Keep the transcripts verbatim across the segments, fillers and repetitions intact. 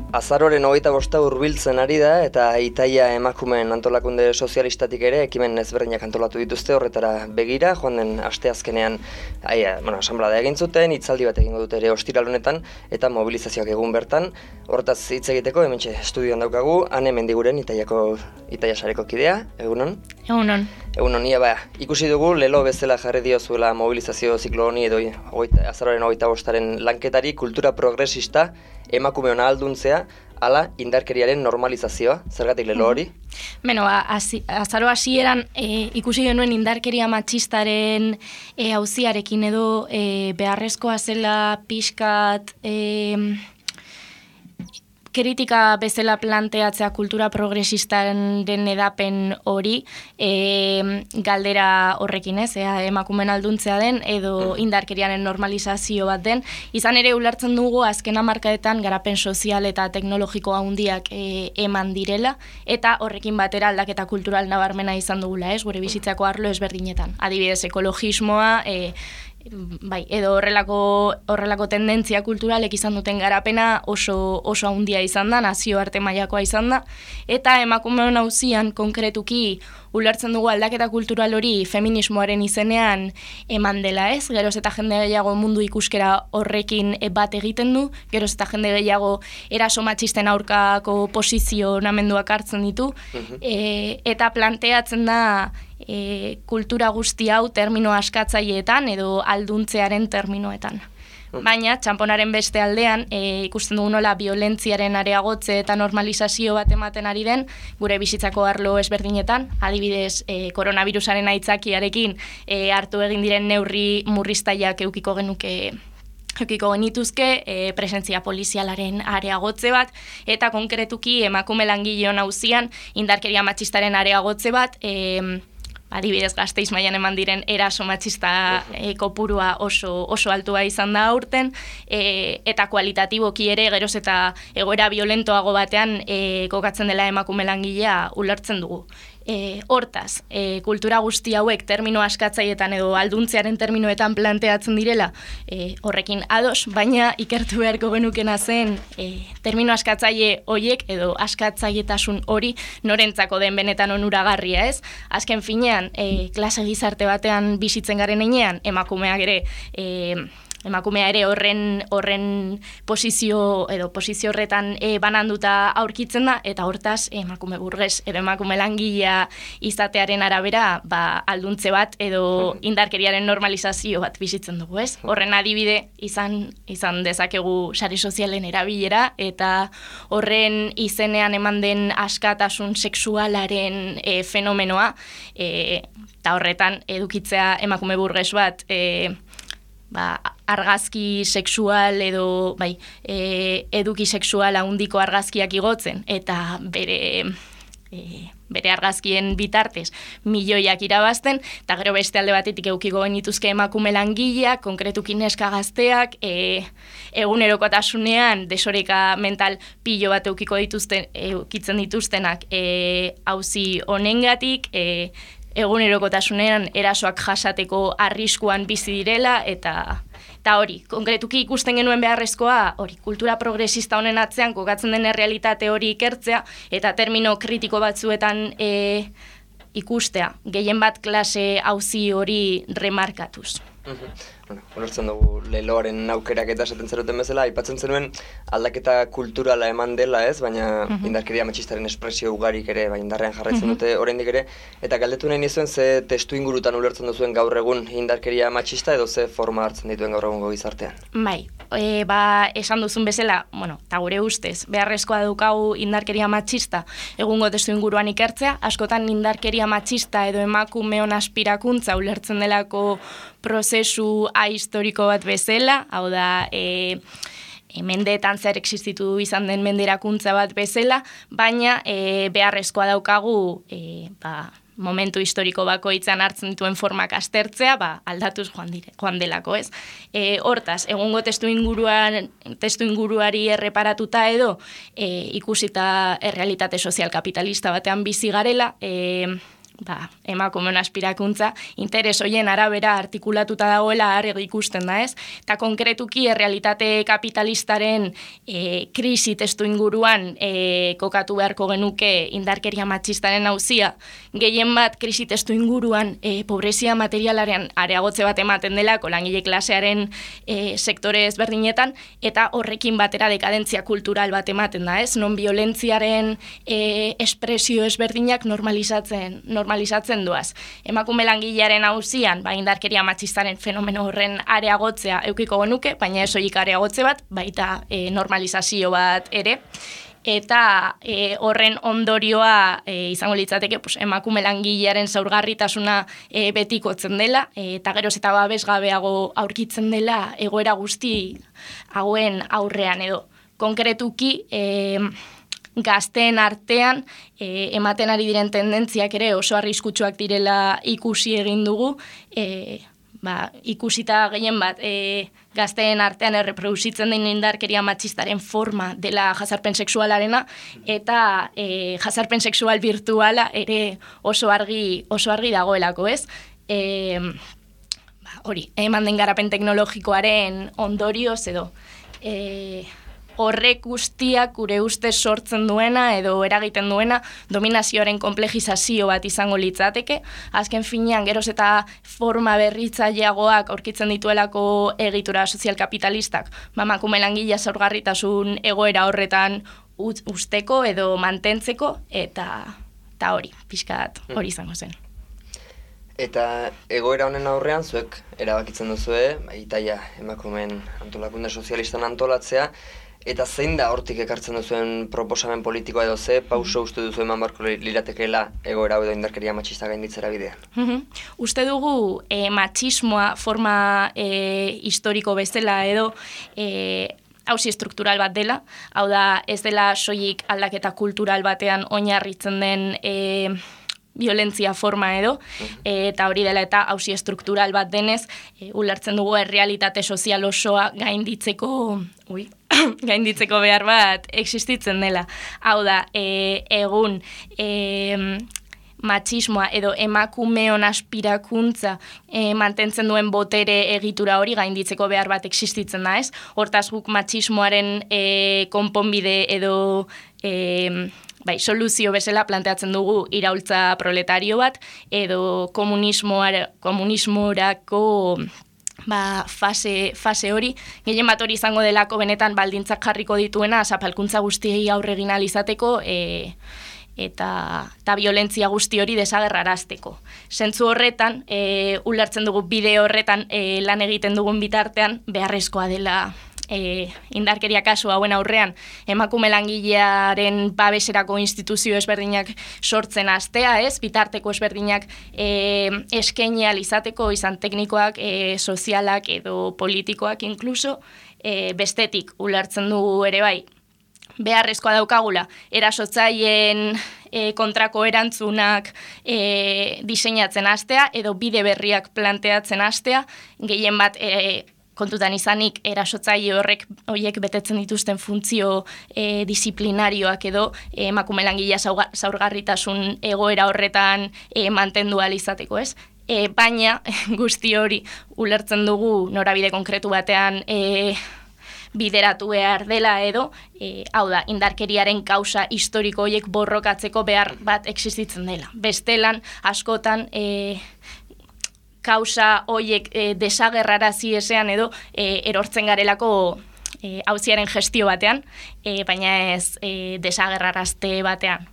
Azaroren hogeita bosta hurbiltzen ari da eta Itaia emakumeen antolakunde sozialistatik ere ekimen ezberdinak antolatu dituzte horretara begira, joan den asteazkenean aia, bueno, asanblada egin zuten, hitzaldi bat egingo dute ere ostiral honetan eta mobilizazioak egun bertan. Hortaz hitz egiteko hementxe estudioan daukagu Ane Mendiguren Itaiako Itaia sareko kidea, egunon? Egunon. Egunon, ia ba, ikusi dugu lelo bezala jarri diozuela mobilizazio ziklo honi edo oita, azaroren hogeita bostaren lanketari kultura progresista emakumeon ahalduntzea, ala indarkeriaren normalizazioa, zergatik lelo hori? Beno, azaro hasieran e, ikusi genuen indarkeria matxistaren e, auziarekin edo e, beharrezkoa zela pixkat e, kritika bezala planteatzea kultura progresistaren edapen hori e, galdera horrekin ez, ea, emakumen alduntzea den edo indarkeriaren normalizazio bat den. Izan ere ulertzen dugu azken hamarkadetan garapen sozial eta teknologiko handiak e, eman direla eta horrekin batera aldaketa kultural nabarmena izan dugula, ez, gure bizitzako arlo ezberdinetan. Adibidez, ekologismoa, e, bai, edo horrelako horrelako tendentzia kulturalek izan duten garapena oso oso handia izan da, nazioarte mailakoa izan da, eta emakumeon auzian konkretuki ulertzen dugu aldaketa kultural hori feminismoaren izenean eman dela, ez? Geroz eta jende gehiago mundu ikuskera horrekin bat egiten du, geroz eta jende gehiago eraso matxisten aurkako posizionamenduak hartzen ditu, e, eta planteatzen da E, kultura guzti hau termino askatzaileetan edo alduntzearen terminoetan. Baina, txamponaren beste aldean, e, ikusten dugu nola violentziaren areagotze eta normalizazio bat ematen ari den, gure bizitzako arlo ezberdinetan, adibidez, e, koronavirusaren aitzakiarekin e, hartu egin diren neurri murriztaileak eukiko genuke Eukiko genituzke, e, presentzia polizialaren areagotze bat, eta konkretuki emakume langileon auzian indarkeria matxistaren areagotze bat, e, adibidez Gasteiz mailan eman diren eraso matxista e, kopurua oso, oso altua izan da aurten, e, eta kualitatiboki ere geroz eta egoera violentoago batean e, kokatzen dela emakume langilea ulertzen dugu. E, hortaz, e, kultura guzti hauek termino askatzaietan edo alduntzearen terminoetan planteatzen direla, e, horrekin ados, baina ikertu beharko genukena zen e, termino askatzaile hoiek edo askatzaietasun hori norentzako den benetan onuragarria, ez? Azken finean, e, klase gizarte batean bizitzen garen heinean, emakumeak ere e, emakumea ere horren horren posizio edo posizio horretan e, bananduta aurkitzen da, eta hortaz emakume burges edo emakume langilea izatearen arabera ba, alduntze bat edo indarkeriaren normalizazio bat bizitzen dugu, ez? Horren adibide izan izan dezakegu sare sozialen erabilera eta horren izenean eman den askatasun sexualaren e, fenomenoa e, eta horretan edukitzea emakume burges bat e, ba, argazki sexual edo bai, e, eduki sexual handiko argazkiak igotzen eta bere e, bere argazkien bitartez milioiak irabazten, eta gero beste alde batetik eukiko genituzke emakume langileak, konkretuki neska gazteak, e, egunerokotasunean desoreka mental pilo bat eukiko dituzten, eukitzen dituztenak e, auzi honengatik, e, egunerokotasunean erasoak jasateko arriskuan bizi direla, eta eta hori, konkretuki ikusten genuen beharrezkoa, hori, kultura progresista honen atzean kokatzen den errealitate hori ikertzea, eta termino kritiko batzuetan e, ikustea, gehien bat klase auzi hori remarkatuz. Bueno, ulertzen dugu leloaren aukerak eta esaten zeruten bezala, aipatzen zenuen aldaketa kulturala eman dela, ez? Baina uh-huh. indarkeria matxistaren espresio ugarik ere, ba, indarrean jarraitzen uh-huh. dute oraindik ere, eta galdetu nahi nizuen ze testu ingurutan ulertzen duzuen gaur egun indarkeria matxista edo ze forma hartzen dituen gaur egungo gizartean? Bai, e, ba, esan duzun bezala, bueno, eta gure ustez, beharrezkoa daukagu indarkeria matxista egungo testu inguruan ikertzea, askotan indarkeria matxista edo emakumeon aspirakuntza ulertzen delako prozesu ahistoriko bat bezala, hau da, e, e, mendeetan zer existitu izan den menderakuntza bat bezala, baina e, beharrezkoa daukagu e, ba, momentu historiko bakoitzan hartzen dituen formak aztertzea, ba, aldatuz joan, dire, joan delako, ez? E, hortaz, egungo testu inguruan, testu inguruari erreparatuta edo, e, ikusita errealitate sozial kapitalista batean bizi garela, e, ba, emakumeon aspirakuntza, interes hoien arabera artikulatuta dagoela argi ikusten da, ez? Eta konkretuki errealitate kapitalistaren e, krisi testu inguruan e, kokatu beharko genuke indarkeria matxistaren auzia, gehien bat krisi testu inguruan e, pobrezia materialaren areagotze bat ematen delako langile klasearen e, sektore ezberdinetan, eta horrekin batera dekadentzia kultural bat ematen da, ez? Non violentziaren e, espresio ezberdinak normalizatzen, normalizatzen duaz. Emakume langilearen auzian, ba, indarkeria matxistaren fenomeno horren areagotzea eukiko genuke, baina ez horiek areagotze bat, baita e, normalizazio bat ere, eta e, horren ondorioa e, izango litzateke pues, emakume langilearen zaurgarritasuna e, betikotzen dela, e, eta geroz eta babesgabeago aurkitzen dela egoera guzti hauen aurrean edo. Konkretuki, e, gazteen artean e, ematen ari diren tendentziak ere oso arriskutsuak direla ikusi egin dugu, e, ba, ikusita gehien bat e, gazteen artean erreproduzitzen den indarkeria matxistaren forma dela jazarpen sexualarena, eta e, jazarpen sexual virtuala ere oso argi, oso argi dagoelako, ez? E, ba, hori, eman den garapen teknologikoaren ondorioz edo, e, horrek guztiak gure ustez sortzen duena edo eragiten duena dominazioaren komplejizazio bat izango litzateke. Azken finean, geroz eta forma berritzaileagoak aurkitzen dituelako egitura sozial kapitalistak, emakume langilea zaurgarritasun egoera horretan usteko edo mantentzeko, eta, eta hori, pixkat hori izango zen. Eta egoera honen aurrean, zuek erabakitzen duzue, itaia emakumeen antolakunde sozialistan antolatzea, eta zein da hortik ekartzen duzuen proposamen politikoa edo ze pauso uste duzu eman barko liratekeela egoera edo indarkeria matxista gainditzera bidean? Mm-hmm. Uste dugu e, matxismoa forma e, historiko bezala edo e, auzi estruktural bat dela, hau da ez dela soilik aldaketa kultural batean oinarritzen den e, violentzia forma edo, e, eta hori dela eta auzi estruktural bat denez, e, ulertzen dugu errealitate sozial osoa gainditzeko, ui, gainditzeko behar bat existitzen dela. Hau da, e, egun e, matxismoa edo emakumeon aspirakuntza e, mantentzen duen botere egitura hori gainditzeko behar bat existitzen da, ez? Hortaz guk matxismoaren e, konponbide edo e, bai, soluzio bezala planteatzen dugu iraultza proletario bat edo komunismorako ba, fase, fase hori, gehien bat hori izango delako benetan baldintzak jarriko dituena zapalkuntza guztiei aurre egin ahal izateko e, eta, eta violentzia guzti hori desagerrarazteko. Zentzu horretan, e, ulertzen dugu bide horretan e, lan egiten dugun bitartean beharrezkoa dela E, indarkeria kasu hauen aurrean emakume langilearen babeserako instituzio ezberdinak sortzen hastea, ez? Bitarteko ezberdinak e, eskaini ahal izateko, izan teknikoak, e, sozialak edo politikoak inkluso, e, bestetik ulertzen dugu ere bai beharrezkoa daukagula erasotzaileen e, kontrako erantzunak e, diseinatzen hastea edo bide berriak planteatzen hastea, gehien bat e, kontutan izanik erasotzaile horrek horiek betetzen dituzten funtzio e, disiplinarioak edo e, emakume langilea zaurgarritasun egoera horretan e, mantendu ahal izateko, ez? E, baina guzti hori ulertzen dugu norabide konkretu batean e, bideratu behar dela edo, e, hau da, indarkeriaren kausa historiko horiek borrokatzeko behar bat existitzen dela. Bestelan, askotan, e, kausa hoiek e, desagerrarazi ezean edo e, erortzen garelako e, auziaren gestio batean, e, baina ez e, desagerrarazte batean.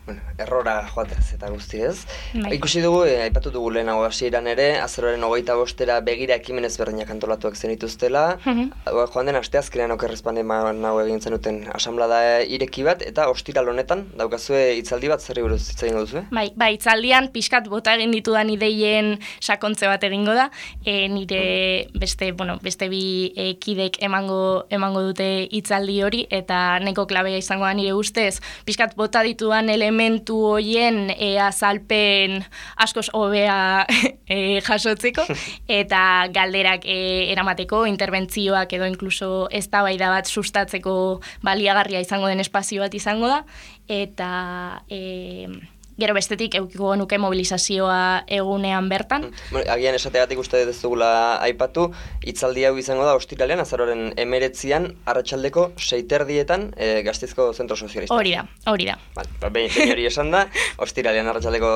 Bueno, errora joatez eta guztiez. Bai. Ikusi dugu, e, aipatu dugu lehenago hasieran ere, azaroaren hogeita bostera begira ekimen ezberdinak antolatuak zenituztela. Mm-hmm. Joan den asteazkenean okerrezpande nago egin zenuten asanblada ireki bat, eta ostiral honetan daukazue hitzaldi bat zerri buruz hitz egingo duzu? Bai, bai, hitzaldian pixkat bota egin ditudan ideien sakontze bat egingo da, e, nire beste, bueno, beste bi e, kidek emango, emango dute hitzaldi hori, eta neko klabea izango da nire ustez, pixkat bota ditudan elementu hoien e, azalpen askoz hobea e, jasotzeko, eta galderak e, eramateko, interbentzioak edo inkluso eztabaida bat sustatzeko baliagarria izango den espazio bat izango da, eta e, gero bestetik eukiko nuke mobilizazioa egunean bertan. Bueno, agian esateagatik uste ez dugula aipatu, hitzaldi hau izango da ostiralean, azaroaren emeretzian, arratsaldeko seiterdietan e, Gasteizko Zentro Sozialista. Hori da, hori da. Vale, ba, behin hori esan da, ostiralean arratsaldeko,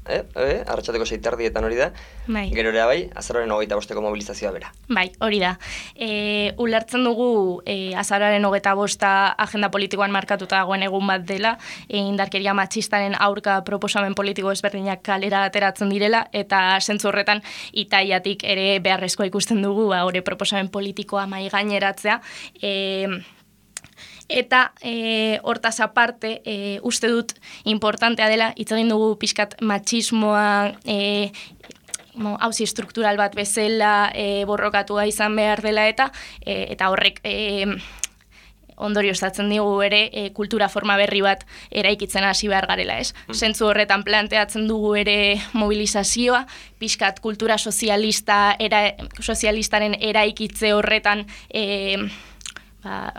eh, eh, arratsaldeko seiterdietan hori da, bai. Gerorea bai, azaroaren hogeita bosteko mobilizazioa bera. Bai, hori da. E, ulertzen dugu e, azaroaren hogeita bosta agenda politikoan markatuta dagoen egun bat dela, e, indarkeria matxistaren aurka proposamen politiko ezberdinak kalera ateratzen direla, eta zentzu horretan itaiatik ere beharrezkoa ikusten dugu, ba, hori proposamen politikoa mai gaineratzea, e, eta e, hortaz aparte, e, uste dut importantea dela, hitz egin dugu pixkat matxismoa, e, hauzi struktural bat bezala e, borrokatua izan behar dela eta e, eta horrek e, ondorioztatzen digu ere e, kultura forma berri bat eraikitzen hasi behar garela, ez? Mm. Zentzu horretan planteatzen dugu ere mobilizazioa, pixkat kultura sozialista era, sozialistaren eraikitze horretan e, ba,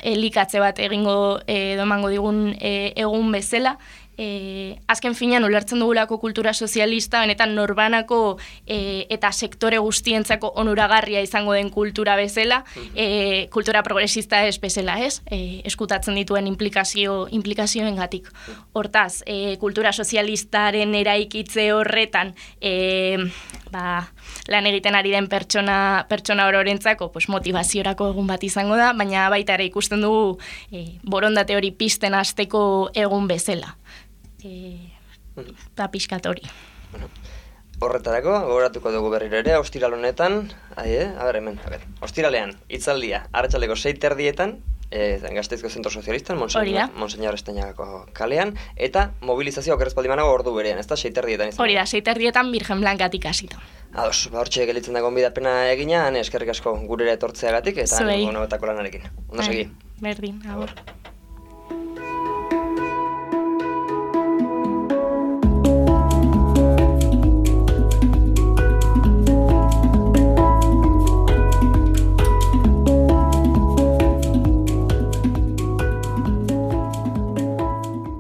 elikatze bat egingo e, domango digun e, egun bezala. E, azken finean ulertzen dugulako kultura sozialista, benetan norbanako e, eta sektore guztientzako onuragarria izango den kultura bezala, e, kultura progresista ez bezala, ez? E, eskutatzen dituen implikazio, implikazioengatik. Hortaz, e, kultura sozialistaren eraikitze horretan e, ba, lan egiten ari den pertsona, pertsona ororentzako pues, motivaziorako egun bat izango da, baina baita ere ikusten dugu e, borondate hori pizten hasteko egun bezala. Eta pixkat hori. Bueno, horretarako, gogoratuko dugu berriro ere, ostiral honetan, ahi, eh? A ber, hemen, a ber, ostiralean, hitzaldia, arratsaldeko sei terdietan, e, Gasteizko Zentro Sozialistan, Monseñor Estañagako kalean, eta mobilizazio okerrezpaldi manago ordu berean, ez da, sei terdietan izan. Hori da, sei terdietan Virgen Blankatik hasita. Ados, ba, hortxe gelitzen dago onbidapena egina, eskerrik asko gurera etortzeagatik, eta nire lanarekin. Ondo segi. Berdin, agur.